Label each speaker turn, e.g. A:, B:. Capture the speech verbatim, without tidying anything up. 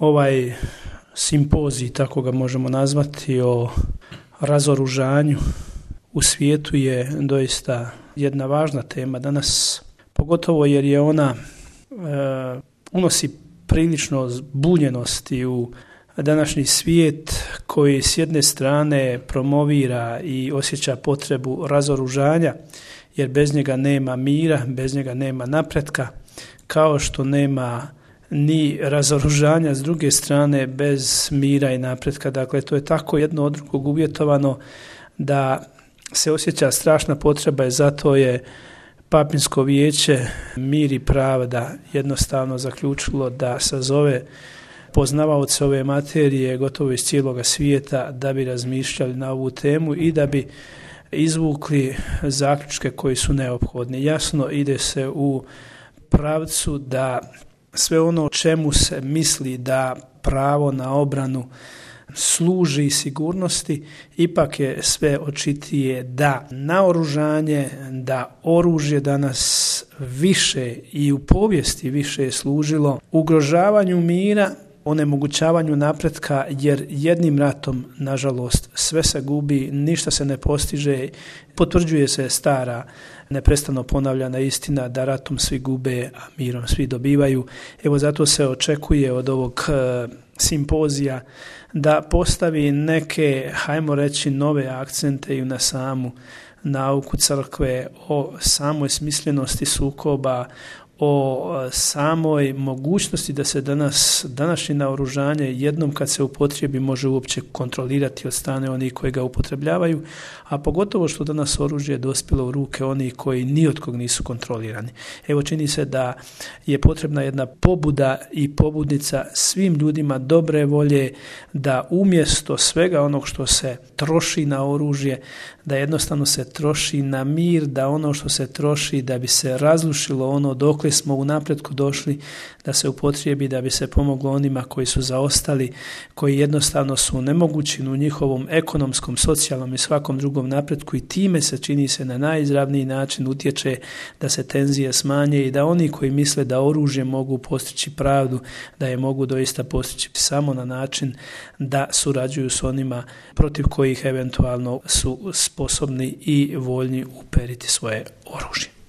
A: Ovaj simpozij, tako ga možemo nazvati, o razoružanju u svijetu je doista jedna važna tema danas, pogotovo jer je ona e, unosi prilično zbunjenosti u današnji svijet koji s jedne strane promovira i osjeća potrebu razoružanja, jer bez njega nema mira, bez njega nema napretka, kao što nema ni razoružanja s druge strane bez mira i napretka. Dakle, to je tako jedno od drugog uvjetovano da se osjeća strašna potreba i zato je Papinsko vijeće Mir i pravda jednostavno zaključilo da sazove poznavaoce ove materije gotovo iz cijeloga svijeta da bi razmišljali na ovu temu i da bi izvukli zaključke koji su neophodni. Jasno, ide se u pravcu da sve ono čemu se misli da pravo na obranu služi sigurnosti, ipak je sve očitije da naoružanje, da oružje danas više i u povijesti više je služilo ugrožavanju mira, onemogućavanju napretka, jer jednim ratom, nažalost, sve se gubi, ništa se ne postiže, potvrđuje se stara, neprestano ponavljana istina da ratom svi gube, a mirom svi dobivaju. Evo zato se očekuje od ovog e, simpozija da postavi neke, hajmo reći, nove akcente i na samu nauku crkve o samoj smislenosti sukoba, o samoj mogućnosti da se danas, današnje naoružanje jednom kad se upotrijebi može uopće kontrolirati od strane onih koji ga upotrebljavaju, a pogotovo što danas oružje je dospjelo u ruke onih koji ni od kog nisu kontrolirani. Evo, čini se da je potrebna jedna pobuda i pobudnica svim ljudima dobre volje da umjesto svega onog što se troši na oružje, da jednostavno se troši na mir, da ono što se troši da bi se razrušilo ono dokle smo u napretku došli, da se upotrijebi da bi se pomoglo onima koji su zaostali, koji jednostavno su nemogući u njihovom ekonomskom, socijalnom i svakom drugom napretku, i time se, čini se, na najizravniji način utječe da se tenzije smanje i da oni koji misle da oružje mogu postići pravdu, da je mogu doista postići samo na način da surađuju s onima protiv kojih eventualno su sposobni i voljni uperiti svoje oružje.